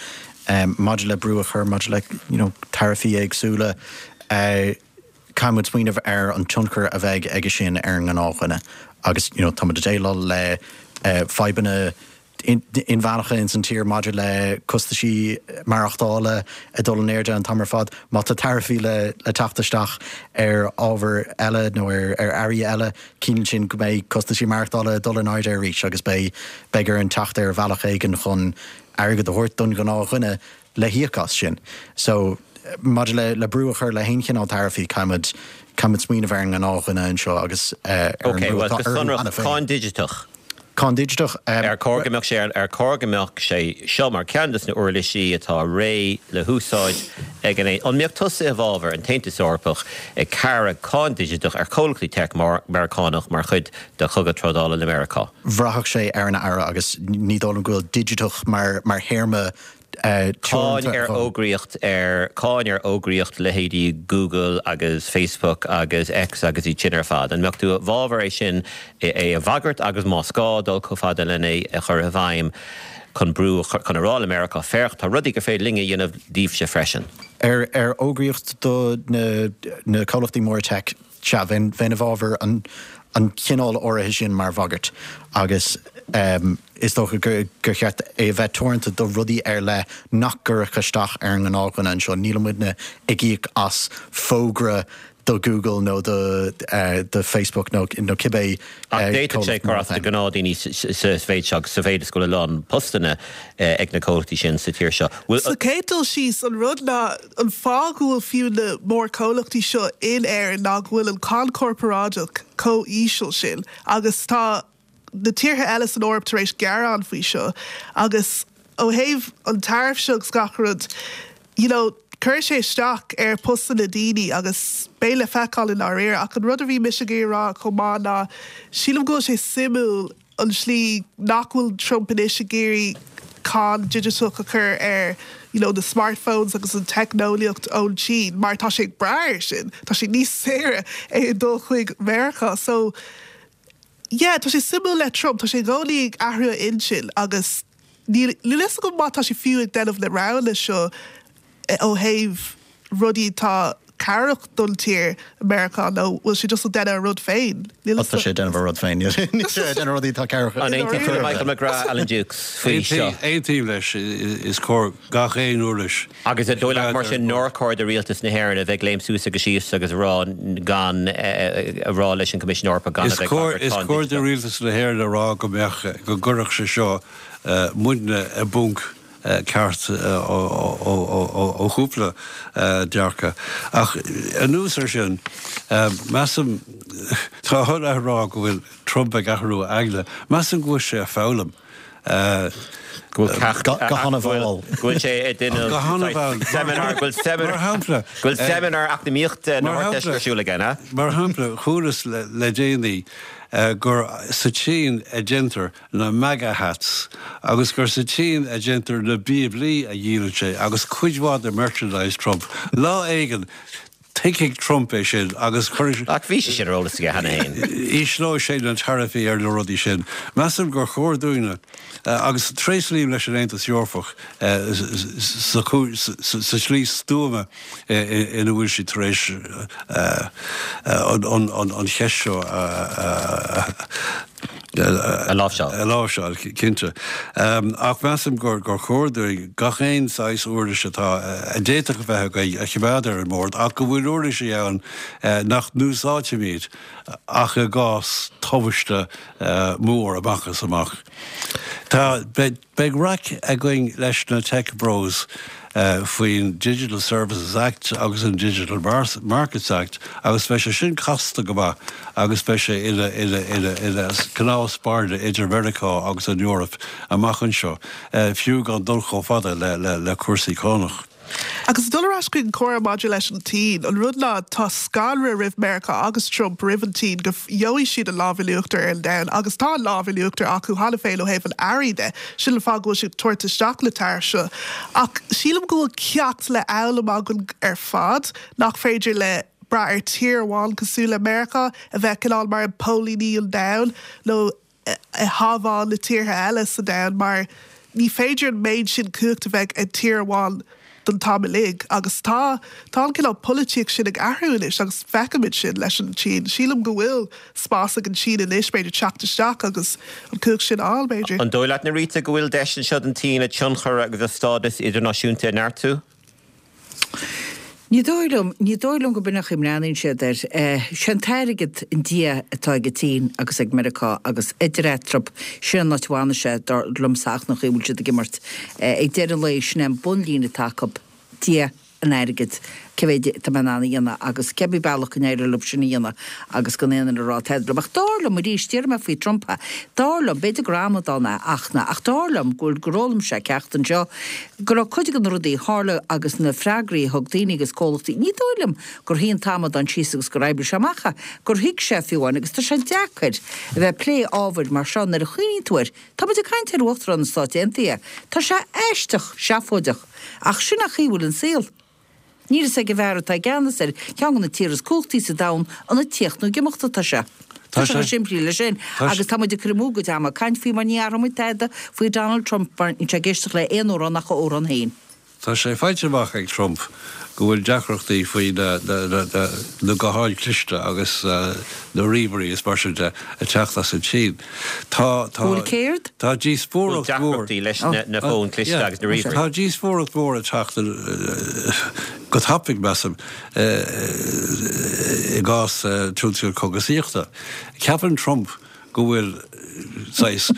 Maidir le brú a chur, maidir le you know taraifí éagsúla, caithfimid smaoineamh ar an tionchar a bheidh aige sin ar an ngnáthdhuine agus you know táimid ag déileáil le fadhbanna inmheánacha ins an tír maidir le costaisí maireachtála ag dul in airde an t-am ar fad. Má tá taraifí le teacht isteach ar ábhair eile nó ar earraí eile, ciallaíonn sin go mbeidh costaisí maireachtála ag dul in airde arís agus beidh beidh orainn teacht ar bhealach éigin chun airgead a thabhairt don ghnáthdhuine le híoc as sin. So, maidir le le brú a chur le haon chineál taraifí, caithfimid caithfimid smaoineamh ar an ngnáthdhuine anseo agus ar an Ok, mbrú bhuel, atá go orthu sonrach, cheana féin. cáin digiteach. Cáin digiteach. Ar chóir go mbeadh sé ar chóir go mbeadh sé seo mar cheann de na uirlisí atá réidh le húsáid ag an An mbeadh tusa i bhfabhar an tAontas Eorpach ag gearradh cáin digiteach ar chomhlachtaí teic Meiriceánach mar chuid de chogadh trádála le Meiriceá? Bhraithfeadh sé ar an Aire agus ní dóigh liom go bhfuil digiteach mar théarma Cáin ar fhógraíocht ar Cáin ar fhógraíocht leithéidí Google agus Facebook agus X agus iad sin ar fad. An mbeadh tú i bhfabhar é sin é a bhagairt agus más gá dul chomh fada lena é a chur i bhfeidhm chun brú a chur chun a rá le Meiriceá féach tá rudaí gur féidir linn a dhéanamh daoibhse freisin. Ar ar fhógraíocht do na na comhlachtaí móra teic Sea, bheinn i bhfabhar an chineál áirithe sin mar bhagairt agus is dócha gur cheart é a bheith teoranta do rudaí ar leith nach gcuirfeadh isteach ar an ngnáthdhuine anseo. Níl muidne ag íoc as fógra do Google nó do Facebook nó cibé Ach d'fhéadfadh sé comhlacht cur mór as do féin. ghnáthdhaoine sa mhéid seo, sa mhéid is go bhfuil a lán postanna ag na comhlachtaí sin sa tír seo. Bhfuil. Sa chéad dul síos, an rud ná an fáth go bhfuil fiú na mórchomhlachtaí seo in Éirinn ná go bhfuil an cáin corparáideach chomh íseal sin agus tá na tíortha eile san Eoraip tar éis gearán faoi seo agus ó thaobh an tariff seo agus gach rud you know cuirfidh sé isteach ar postanna daoine agus beidh le feiceáil i ndáiríre ach an rud a bhí mise ag iarraidh a rá chomh maith ná sílim go bhfuil sé suimiúil an tslí nach bhfuil Trump anois ag iarraidh cáin digiteach a chur ar you know na smartphones agus an teicneolaíocht ón tSín mar tá sé ag brath air sin, tá sé níos saoire é ag dul chuig Meiriceá so yeah tá sé suimiúil le Trump, tá sé i gcónaí ag athrú a intinn agus níl níl fhios agam má tá sé fiú ag déanamh na roghanna seo ó thaobh rudaí atá cabhrach don tír, Meiriceá, nó bhfuil sé just ag déanamh a rud féin? Níl fhios Tá sé ag déanamh a rud féin. Níl sé ag déanamh rudaí atá cabhrach. An aontaíonn tú le Michael McGrath, Alan Dukes, faoi seo? Aontaím leis, is cóir gach aon uirlis. Agus an dóigh leat mar sin nár chóir do rialtas na hÉireann a bheith ag léim suas agus síos agus a rá gan a rá leis an Coimisiún Eorpach gan a bheith ag bagairt Is cáin cóir do digiteach? rialtas na hÉireann a rá go mbeadh, go gcuirfeadh sé seo muidne i bponc ceart ó chúpla dearcadh. Ach anuas air sin, measaim, tá a rá go bhfuil Trump ag athrú a aigne, measaim go bhfuil sé ag foghlaim. Go bhfuil ceacht, Go han-mhall. go bhfuil sé ag déanamh Go han-mhall. seimineár, go bhfuil seimineár, Mar shampla, go bhfuil seimineár eacnamaíochta na Mar hArdteiste shampla, ar siúl aige, an ea? Mar shampla, chualas le déanaí gur sa tSín a déantar na MAGA hats agus gur sa tSín a déantar na Bíoblaí a dhíolann sé agus cuid mhaith de merchandise Trump. Lá éigin, tuigfidh Trump é sin agus cuirfidh. Ach bhí sé sin ar eolas aige cheana féin. Ísleoidh sé na taraifí ar na rudaí sin. Measaim gur chóir dúinne, agus tréaslaím leis an Aontas Eorpach sa tslí stuama ina bhfuil siad tar éis an cheist seo a. A láimhseáil. A láimhseáil, cinnte. Ach measaim gur chóir dúinn gach aon saghas uirlis atá, a d'fhéadfadh a bheith againn a choimeád ar an mbord ach go bhfuil uirlisí ann nach n-úsáidfimid ach i gcás tubaiste mór amach is amach. Tá, beidh. Beidh raic againn leis na Tech Bros faoin Digital Services Act agus an Digital Markets Act agus beidh sé sin casta go maith agus beidh sé ina ina ina ina cnámh spairne idir Meiriceá agus an Eoraip amach anseo, fiú gan dul chomh fada le le le cúrsaí cánach. Agus dul ar ais chuig an comhrá maidir leis an tSín, an rud ná tá scanradh roimh Meiriceá agus Trump roimh an tSín go gheobhaidh siad an lámh in uachtar ar an domhan agus tá an lámh in uachtar acu cheana féin ó thaobh an earraí de. Sin an fáth go bhfuil siad ag tabhairt isteach na taraifí seo. Ach sílim go bhfuil ceacht le foghlaim againn ar fad nach féidir le brath ar tír amháin cosúil le Meiriceá a bheith cineál mar póilíní an domhain nó ag sábháil na tíortha eile sa domhan mar ní féidir an méid sin cumhacht a bheith ag tír amháin don t-am uilig agus tá tá an cineál polaitíocht sin ag athrú anois agus feicimid sin leis an tSín. Sílim go bhfuil spás ag an tSín anois b'fhéidir teacht isteach agus an cumhacht sin a fháil b'fhéidir. An dóigh leat, Nerita, go bhfuil deis anseo don tSín a tionchar agus a stádas idirnáisiúnta a neartú? Ní dóigh liom, ní dóigh liom go b'in an chaoi a mbreathnaíonn siad air. Sé an t-airgead an dia atá ag an tSín agus ag Meiriceá agus idir eatarthu, sin an áit a bhfanfaidh sé, dar liomsa, ach an chaoi a bhfuil siad ag imirt. Ag deireadh an lae, sin é an bunlíne atá acu, dia an airgid, cé mhéid atá mé in ann a dhéanamh agus cébí bealach go n-éireoidh leo sin a dhéanamh agus gan aon duine a rá tada leo. Ach dar liom, arís, déarfaidh mé faoi Trump é, dar liom, b'fhéidir gur amadán é ach na, ach dar liom go bhfuil, gur fhoghlaim sé ceacht anseo, go raibh cuid de na rudaí a tharla agus na freagraí a thug daoine agus comhlachtaí, ní dóigh liom gur shuigh an t-amadán síos agus gur oibrigh sé amach é, gur thuig sé fiú amháin agus tá sé deacair a bheith ag plé ábhair mar seo nuair a chuimhníonn tú air, tá muid ag caint ar Uachtarán na Stáit Aontaithe, tá sé aisteach seafóideach ach sin an chaoi a bhfuil an saol. Níl fhios ag an bhfear atá i gceannas ar cheann de na tíortha is cumhachtaí sa domhan an ag tíocht nó ag imeacht atá sé. Tá sé chomh simplí le sin. Agus tá muid ag cur amú a gcuid ama ag caint faoi mar ní athróidh muid tada faoi Donald Trump mar níl sé ag éisteacht le aon amhrán ach a amhrán féin. Tá sé faighte amach ag Trump go bhfuil deacrachtaí faoi na gutháin chliste agus na ríomhairí is mar sin de ag teacht as an tSín. Tá, tá, Bhfuil céard? tá díospóireacht mhór. Deacrachtaí leis na fóin cliste agus na ríomhairí. Tá díospóireacht mhór ag teacht go tapaidh, measaim, i gcás tionscal cógaisíochta. Ceapann Trump go bhfuil saghas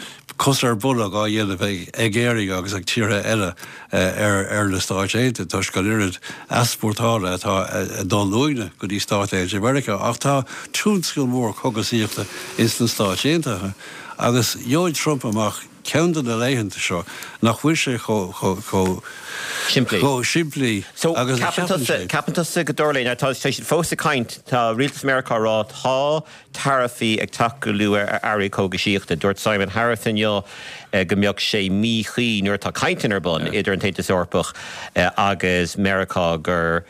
cos ar bolg á dhéanamh ag Éirinn agus ag tíortha eile ar na Stáit Aontaithe toisc an oiread easpórtála atá ag dul uainne go dtí Stáit Aontaithe Mheiriceá. Ach tá tionscal mór cógaisíochta ins na Stáit Aontaithe agus gheobhaidh Trump amach ceann de na laethanta seo nach bhfuil sé chomh simplí agus a cheapann sé. Ceapann tusa go dtarlóidh? Now tá siad fós ag caint, tá rialtas Meiriceá ag rá tá taraifí ag teacht go luath ar earraí cógaisíochta. Dúirt Simon Harris inniu go mbeadh sé míchuí nuair atá cainteanna ar bun idir an tAontas Eorpach agus Meiriceá gur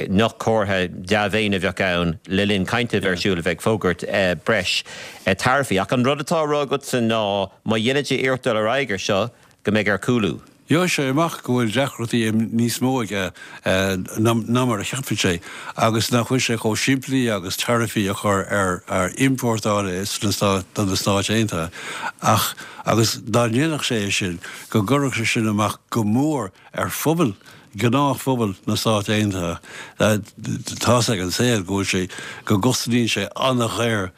nach comhartha dea-mhéine a bheadh ann le linn cainte a bheith ar siúl a bheith ag fógairt breis taraifí. Ach an rud atá á rá agatsa ná má dhéanann sé iarracht dul ar aghaidh ar seo go mbeidh air cúlú. Gheobhaidh sé amach go bhfuil deacrachtaí níos mó aige ná mar a cheapann sé agus nach bhfuil sé chomh simplí agus taraifí a chur ar iompórtáil do na Stáit Aontaithe ach agus dá ndéanfadh sé é sin go gcuirfeadh sé sin amach go mór ar phobal, gnáthphobal na Stát Aontaithe. Tá's ag an saol go bhfuil sé, go gcosnaíonn sé an-dhaor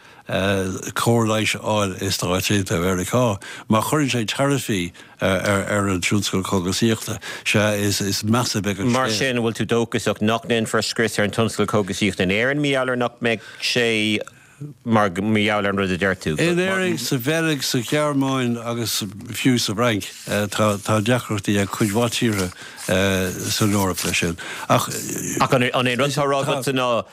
cóir leighis a fháil i Stáit Aontaithe Mheiriceá. Má chuireann sé taraifí ar an tionscal cógaisíochta, sea, is measa beidh an scéal. Mar sin, an bhfuil tú dóchasach nach ndéanfar scrios ar an tionscal cógaisíochta in Éirinn mar gheall ar nach mbeidh sé mar gheall ar an rud a deir tú? In Éirinn, sa Bheilg, sa Ghearmáin agus fiú sa bhFrainc, tá deacrachtaí ag cuid mhaith tíortha san Eoraip leis sin. Ach an é an rud atá á rá agatsa ná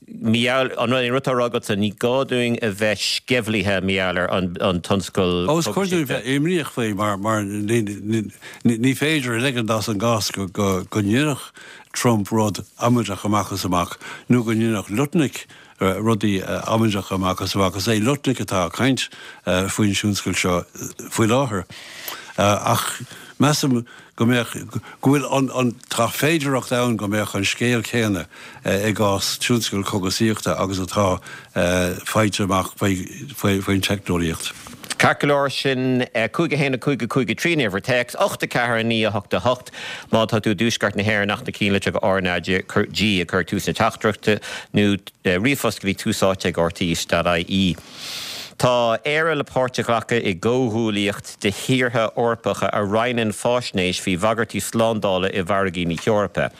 Mar gheall, an rud atá á rá agatsa, ní gá dúinn a bheith sceimhlithe mar gheall ar an tionscal Ó, is cóir dúinn bheith imníoch faoi mar mar ní féidir a ligean as an gcás go go ndéanfadh Trump rud amaideach amach is amach nó go ndéanfadh Lutnick rudaí amaideacha amach is amach. Is é Lutnick atá ag caint faoin tionscal seo faoi láthair. Ach. Measaim go mbeadh, go bhfuil an, an, tá féidearthacht ann go mbeadh an scéal céanna i gcás tionscal cógaisíochta agus atá faighte amach faoi, faoi, faoin teicneolaíocht. Ceart go leor, sin 5 1 5 5 3 an uimhir téacs, 8 4 9 8 8 má tá tú i dtuaisceart na hÉireann ach na cinnlitreacha RnaG a chur ag tús na teachtaireachta nó ríomhphost go dtí túsáite ag rte.ie. Tá Éire le páirt a ghlacadh i gcomhghuaillíocht de thíortha Eorpacha a roinneann faisnéis faoi bhagairtí slándála i bhfarraigí na hEorpa.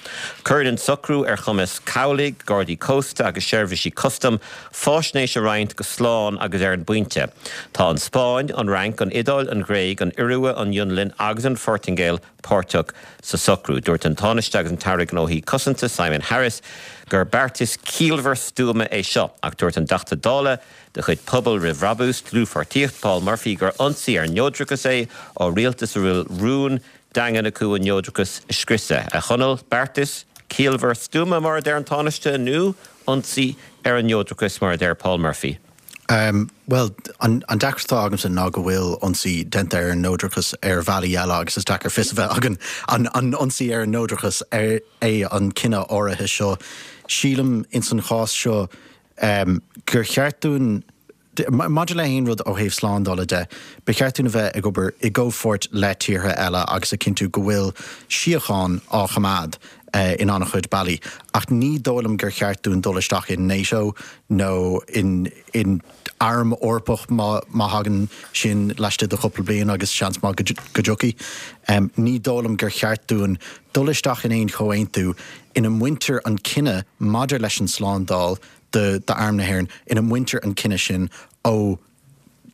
Cuireann an socrú ar chumas cabhlaigh, gardaí cósta agus seirbhísí custaim faisnéis a roinnt go slán agus ar an bpointe. Tá an Spáinn, an Fhrainc, an Iodáil, an Ghréig, an Iorua, an Fhionlainn agus an Phortaingéil páirteach sa socrú. Dúirt an Tánaiste agus an tAire Gnóthaí Cosanta, Simon Harris, gur beartas ciallmhar stuama é seo, ach dúirt an Teachta Dála de chuid Pobal Roimh Bhrabús, Dlúthpháirtíocht, Paul Murphy gur ionsaí ar neodrachas é ó rialtas a bhfuil rún daingean acu an neodrachas a scriosadh. A Chonaill, beartas ciallmhar stuama mar a deir an Tánaiste nó ionsaí ar an neodrachas mar a deir Paul Murphy? Bhuel, an deacracht atá agamsa ná go bhfuil ionsaí déanta ar an neodrachas ar bhealaí eile agus is deacair fios a bheith againn an ionsaí ar an neodrachas é an cinneadh áirithe seo. Sílim ins an chás seo gur cheart dúinn, maidir le haon rud ó thaobh slándála de, ba cheart dúinn a bheith ag obair i gcomhpháirt le tíortha eile agus a chinntiú go bhfuil síocháin á choimeád in an-chuid bealaí. Ach ní dóigh liom gur cheart dúinn dul isteach in NATO nó in in arm Eorpach má má thagann sin laistigh de chúpla bliain agus seans maith go dtiocfaidh. Ní dóigh liom gur cheart dúinn dul isteach in aon chomhaontú ina mbaintear an cinneadh maidir leis an tslándáil d'Arm na hÉireann, ina mbaintear an cinneadh sin ó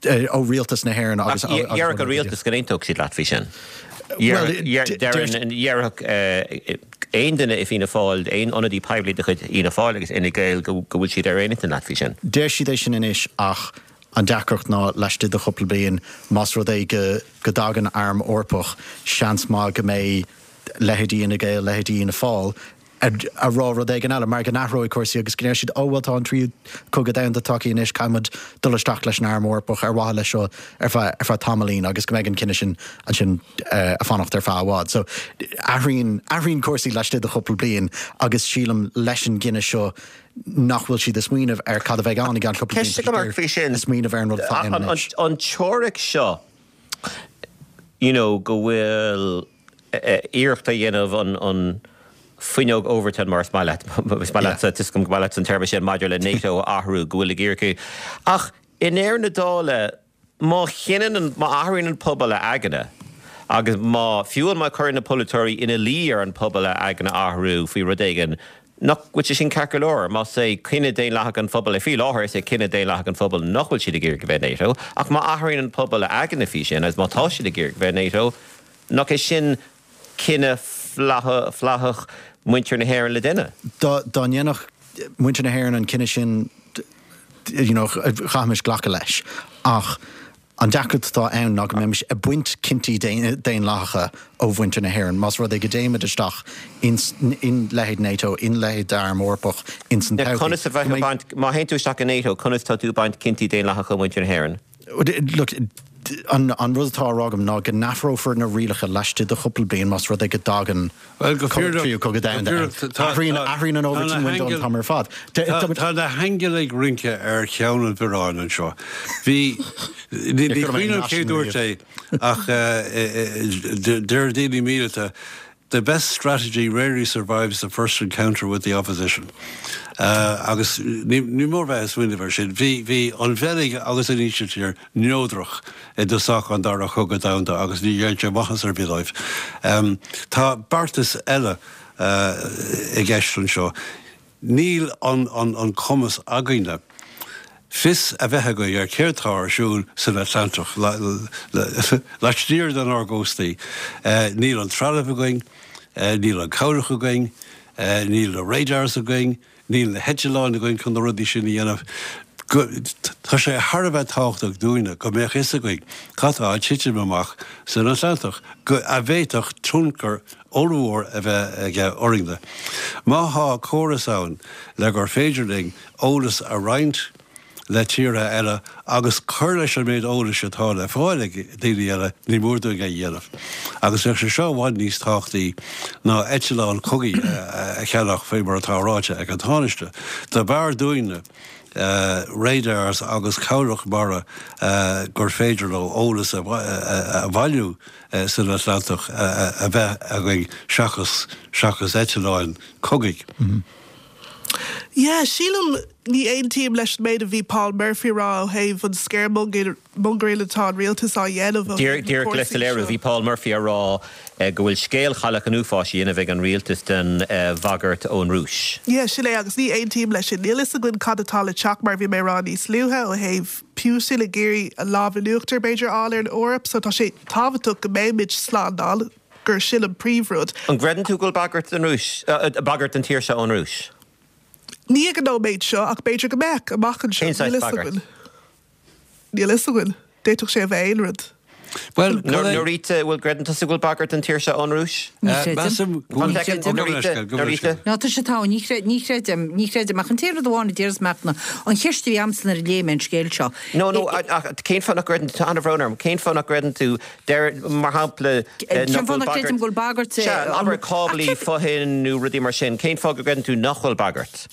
ó Rialtas na hÉireann agus. Ach déarfadh an rialtas go n-aontódh siad leat faoi sin. Déarfadh aon duine i Fianna Fáil, aon ionadaí poiblí de chuid Fhianna Fáil agus Fhine Gael go bhfuil siad ar aon intinn leat faoi sin. Deir siad é sin anois ach an deacracht ná laistigh de chúpla bliain, más rud é go go dtagann arm Eorpach, seans maith go mbeidh leithéidí Fhine Gael, leithéidí Fhianna Fáil ag rá rud éigin eile, mar go n-athróidh cúrsaí agus go ndeir siad, 'Ó, bhuel, tá an tríú cogadh domhanda tagtha anois, caithfidh muid dul isteach leis an Arm Eorpach ar mhaithe leis seo ar feadh, ar feadh tamaillín agus go mbeidh an cinneadh sin ansin ag fanacht ar feadh i bhfad. So, athraíonn, athraíonn cúrsaí laistigh de chúpla bliain agus sílim leis an gcinneadh seo nach bhfuil siad ag smaoineamh ar cad a bheidh ann i gceann cúpla bliain, Ceist agam ort faoi sin. ag smaoineamh ar an rud atá ann anois. An teoiric seo, you know, go bhfuil iarracht á dhéanamh an fuinneog Overton, mar is maith leat, is maith leatsa, tá a fhios agam go maith leatsa an téarma sin maidir le NATO a athrú, go bhfuil ag iarraidh. Ach i ndeireadh na dála, má chinneann an, má athraíonn an pobal a aigne agus má, fiú má chuireann na polaiteoirí ina luí ar an pobal a aigne a athrú faoi rud éigin, nach bhfuil sé sin ceart go leor? Más é cinneadh daonlathach an phobail é, faoi láthair is é cinneadh daonlathach an phobail nach bhfuil siad ag iarraidh a bheith i NATO, ach má athraíonn an pobal a aigne faoi sin agus má tá siad ag iarraidh a bheith i NATO, Nach é sin cinneadh flaithiúil mhuintir na hÉireann le déanamh? Dá ndéanfadh muintir na hÉireann an cinneadh sin, you know, chaithfimis glacadh leis. Ach an deacracht atá ann ná go mbeimis ag baint cinntí daonlathacha ó mhuintir na hÉireann. Más rud é go dtéimid isteach in leithéid NATO, in leithéid d'arm Eorpach ins an todhchaí, Conas a bheifeá ag baint, má théann tú isteach i NATO, conas tá tú ag baint cinntí daonlathacha ó mhuintir na hÉireann? Look, an rud atá á rá agam ná go n-athrófar na rialacha laistigh de chúpla bliain más rud é go dtagann tríú cogadh domhanda ann. Athraíonn, athraíonn an Overton window an t-am ar fad. Tá na haingil ag rince ar cheann an bhioráin anseo. Bhí, ní cuimhin liom cé dúirt é ach deir daoine míleata, The best strategy rarely survives the first encounter with the opposition. Agus ní mór bheith ag smaoineamh air sin. Bhí, bhí an Bheilg agus an Ísiltír neodrach i dtosach an Dara Cogadh Domhanda agus ní dhein sé maitheas ar bith dóibh. Tá beartas eile i gceist anseo. Níl an cumas againne fios a bheith againn ar céard tá ar siúl san Atlantach laistiar denár gcóstaí. Níl an trealamh againn, níl an cabhlach againn, níl na radars againn, níl na heitleáin againn chun na rudaí sin a dhéanamh. Tá sé thar a bheith tábhachtach dúinne go mbeadh fhios againn cad tá ag titim amach san Atlantach, a bhféadfadh tionchar ollmhór a bheith aige orainne. Má thá córas ann le gur féidir linn eolas a roinnt. le tíortha eile agus cur leis an méid eolais atá le fáil ag daoine eile, ní mór dúinn é a dhéanamh. Agus bheadh sé seo i bhfad níos tábhachtaí ná eitleán cogaidh a cheannach faoi mar atá ráite ag an Tánaiste. Dob fhearr dúinne radars agus cabhlach mara gur féidir leo eolas a bhailiú san Atlantach a bheith againn seachas seachas eitleáin cogaidh. Yeah, sílim, ní aontaím leis an méid a bhí Paul Murphy a rá ó thaobh an scaremongering atá an rialtas á dhéanamh ó thaobh na Díreach le cúrsaí soiléiriú, seo. bhí Paul Murphy a rá go bhfuil scéal chailleach an uafáis á dhéanamh ag an rialtas den bhagairt ón Rúis. Yeah, sin é, agus ní aontaím leis sin. Níl fhios againn cad atá le teacht, mar a bhí mé a rá níos luaithe, ó thaobh Putin ag iarraidh a lámh in uachtar, b'fhéidir, a fháil ar an Eoraip, so tá sé tábhachtach go mbeimid slán, gur sin an príomhrud. An gcreideann tú go bhfuil bagairt den Rúis, bagairt don tír seo ón Rúis? Ní ag an nóiméad seo, ach b'fhéidir go mbeadh, amach anseo. Cén saghas Níl fhios bagairt? againn. Níl fhios againn. D'fhéadfadh sé a bheith aon rud. Bhuel, cad é. Norita, bhfuil gcreideann tusa go bhfuil bagairt don tír seo ón Rúis? Ní chreidim. Measaim go bhfuil. One second, Gabh mo leithscéal, gabh mo Norita. leithscéal. Ná, tá sé togha, ní chreidim, ní chreidim, ní chreidim, ach an t-aon rud amháin a déarfas mé ach ná an cheist a bhí a'msa nuair a léigh mé an scéal seo. No, no, ach cén fáth nach gcreideann tú, tá an-bhrón orm, cén fáth nach gcreideann tú Deir, mar shampla, nach bhfuil bagairt. Cén fáth nach gcreidim go bhfuil bagairt? Sea, abair cáblaí fothoinn nó rudaí mar sin. Cén fáth go gcreideann tú nach bhfuil bagairt?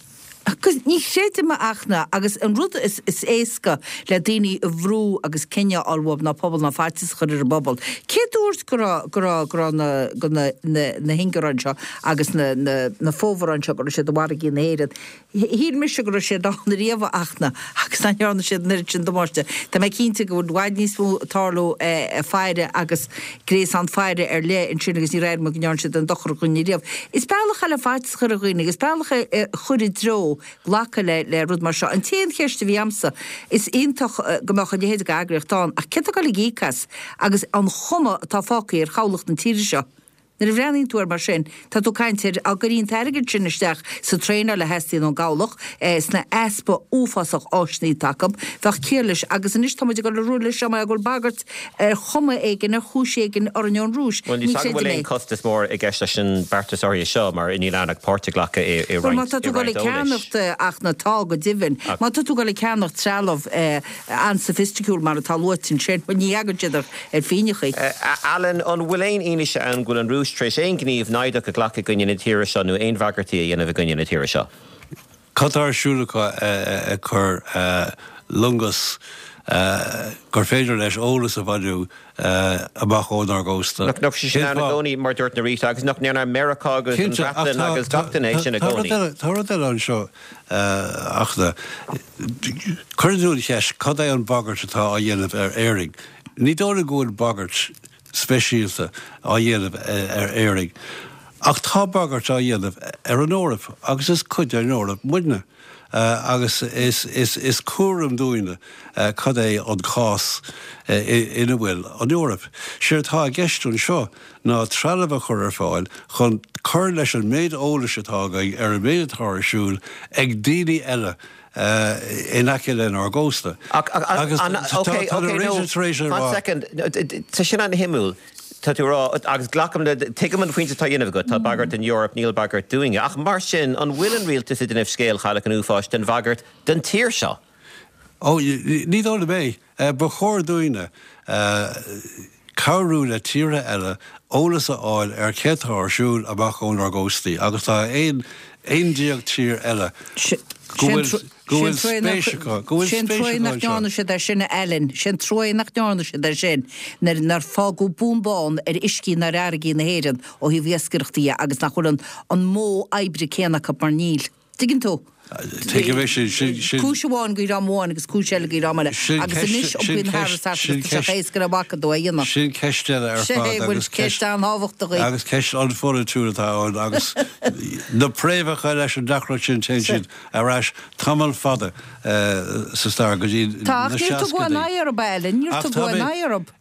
Agus ní chreidim ach ná, agus an rud is éasca le daoine a bhrú agus cinneadh a fháil uathu ná pobal ná faitíos a chur ar an bpobal. Cé dúirt go raibh, go raibh, go raibh na, go na, na, na hingearáin seo agus na, na, na fomhuireáin seo go raibh siad i bhfarraigí na hÉireann? Shíl mise go raibh siad ann ariamh a Fhachtna agus nach ndearna siad an oiread sin damáiste. Tá mé cinnte go bhfuil i bhfad níos mó ag tarlú faire agus gréasán faire ar leith ansin agus níor airigh mé go ndearna siad aon dochar do dhuine riamh. Is bealach é le faitíos a chur ar dhaoine agus bealach é a chur i dtreo glacadh le le rud mar seo. An t-aon cheist a bhí a'msa, is iontach go mbeadh a leithéid d'eagraíocht ann ach cé atá ag dul ag íoc as agus an chuma atá fágtha ar chabhlach na tíre seo? Nuair a bhreathnaíonn tú air mar sin, tá tú ag caint ar dá gcuirfí an t-airgead sin isteach sa traenáil a theastaíonn ón gcabhlach, sna easpa uafásach áiseanna atá acu, bheadh ciall leis. Agus anois tá muid ag dul ag rá leis seo mar go bhfuil bagairt ar chuma éigin, ar chúis éigin orainn ón Rúis. Bhuel, Ní níl 's agam chreidim bhfuil é. aon costas mór i gceist leis an beartas áirithe seo mar níl ann ach páirt a ghlacadh i Bhuel, má roinnt, tá i tú ag dul roinnt ag eolais. ceannacht ach na tá go deimhin. Má tá tú ag dul ag ceannacht trealamh an-soifisticiúil mar atá luaite ansin, bhuel, ní fhaigheann siad ar phingineachaí. Alan, an bhfuil aon fhianaise ann go bhfuil an Rúis tar éis aon ghníomh naimhdeach a ghlacadh i gcoinne na tíre seo nó aon bhagairtí a dhéanamh i gcoinne na tíre seo? Cad tá ar siúl acu ag cur loingeas gur féidir leis eolas a bhailiú amach ónár gcósta? Nach raibh sé sin ann i gcónaí, mar a dúirt Norita, agus nach ndearna Meiriceá agus an Bhreatain agus gach duine é sin i gcónaí? Tá rud eile anseo ach cuireann tú an cheist, cad é an bhagairt atá á dhéanamh ar Éirinn? Ní dóigh liom go bhfuil bagairt speisialta á dhéanamh ar Éirinn, ach tá bagairt á dhéanamh ar an Eoraip agus is cuid den Eoraip muidne agus is cúram dúinne cad é an cás ina bhfuil an Eoraip. Séard atá i gceist anseo ná trealamh a chur ar fáil chun cur leis an méid eolais atá againn ar an méid atá ar siúl ag daoine eile in aice lenár gcósta. Agus tá na Rangers tar éis a rá. One second, tá sin an-shuimiúil. Tá tú a rá, agus glacaim le, tuigim an pointe atá á dhéanamh agat, tá bagairt don Eoraip, níl bagairt dúinne. Ach mar sin, an bhfuil an rialtas ag déanamh scéal chailleach an uafáis den bhagairt don tír seo? Ó, ní dóigh liom é. Ba chóir dúinne cabhrú le tíortha eile eolas a fháil ar céard atá ar siúl amach ónár gcóstaí agus tá 11 tír eile go bhfuil go bhfuil spéis acu, go bhfuil Sé an spéis truaighe acu nach anseo. ndearna siad é sin, a Alan. Sé an truaighe nach ndearna siad é sin nuair nár fágadh bun bán ar uiscí ná ar fharraigí na hÉireann ó thaobh iascaireachta dhe agus nach bhfuil an an modh oibre céanna acu mar níl. Tuigeann tú? Tuigim é sin, sin, sin. Cúis amháin go dhream amháin agus cúis eile go dhream eile. Sin Agus ceist, anois sin iompaíonn ceist, Harris thart sin agus tá sé ceist, éasca le bacadh dó a dhéanamh. sin ceist eile ar Sé fad bhfuil agus ceist ceist, an-tábhachtach í. agus ceist an-pholaitiúil atá ann agus na préamhacha leis an deacracht sin téann siad ar ais tamall fada sa stair go dtí Tá, na ach níor tugadh aon seascaidí. aghaidh orthu, a Alan, níor Ach tá tugadh aon mé, aghaidh orthu.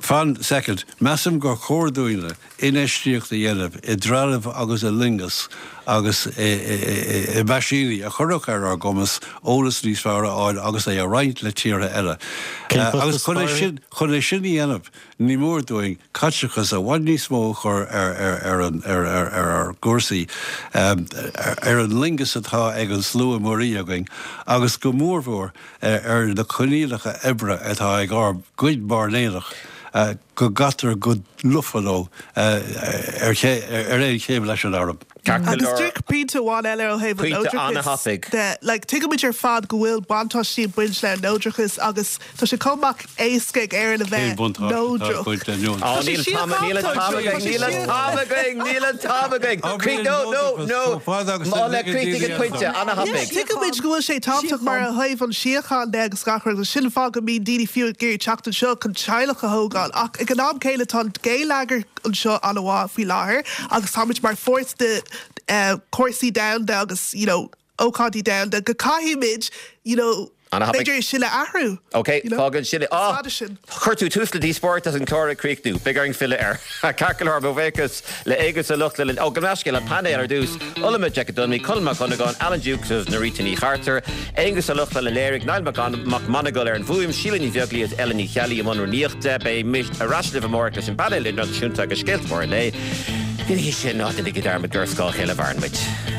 Fan soicind. Measaim gur chóir dúinne infheistíocht a dhéanamh i dtrealamh agus i loingeas agus i meaisíní. daoine a chuirfeadh ar ár gcumas eolas níos fearr a fháil agus é a roinnt le tíortha eile. Agus chun é sin, chun é sin a dhéanamh, ní mór dúinn caiteachas i bhfad níos mó a chur ar an, ar, ar, ar ár gcúrsaí, ar an loingeas atá ag an slua muirí againn agus go mórmhór ar na coinníollacha oibre atá ag ár gcuid mairnéalach, go gcaitear go lofa leo ar aon chéim leis an arm. Agus díreach pointe amháin eile ó thaobh an neodrachais de, like, tuigimid ar fad go bhfuil buntáistí ag baint le neodrachas agus tá sé chomh maith éasca ag Éirinn a bheith neodrach. Tá sé síochánta anseo, tá sé Níl an t-am againn, níl an t-am againn. Críoch, no, no, no. Má críochnaigh an pointe, an-thapaidh. Tuigimid go bhfuil sé tábhachtach mar ó thaobh an síocháin de agus gach rud agus sin an fáth go mbíonn daoine fiú ag iarraidh teacht anseo chun teaghlach a thógáil ach ag an am céanna tá an geilleagar anseo an-mhaith faoi láthair agus táimid mar pháirt de cúrsaí domhanda agus you know ócáidí domhanda go caithfimid you know b'fhéidir é sin a athrú. Ok, fágann sin é. Ah! Chuir tú tús le díospóireacht agus an clár ag críochnú. Beidh orainn filleadh air. Ceart go leor, mo bhuíochas le Aengus Ó Lochlainn. Ó, gabh mo leithscéal, an painéal ar dtús, Ola Majekodunmi, Colm Mac Dhonnagáin, Alan Dukes agus Norita Ní Chartúir, Aengus Ó Lochlainn a léirigh, Niall Mac Monagail ar an bhfuaim, Síle Ní Bheaglaoí agus Ellen Ní Cheallaigh i mbun rúnaíochta. Beidh ar ais libh amárach leis an bpainéal idirnáisiúnta agus scéalta móra an lae. Go dtí sin, ná déanaigí dearmad gur ar scáth a chéile a mhaireann muid.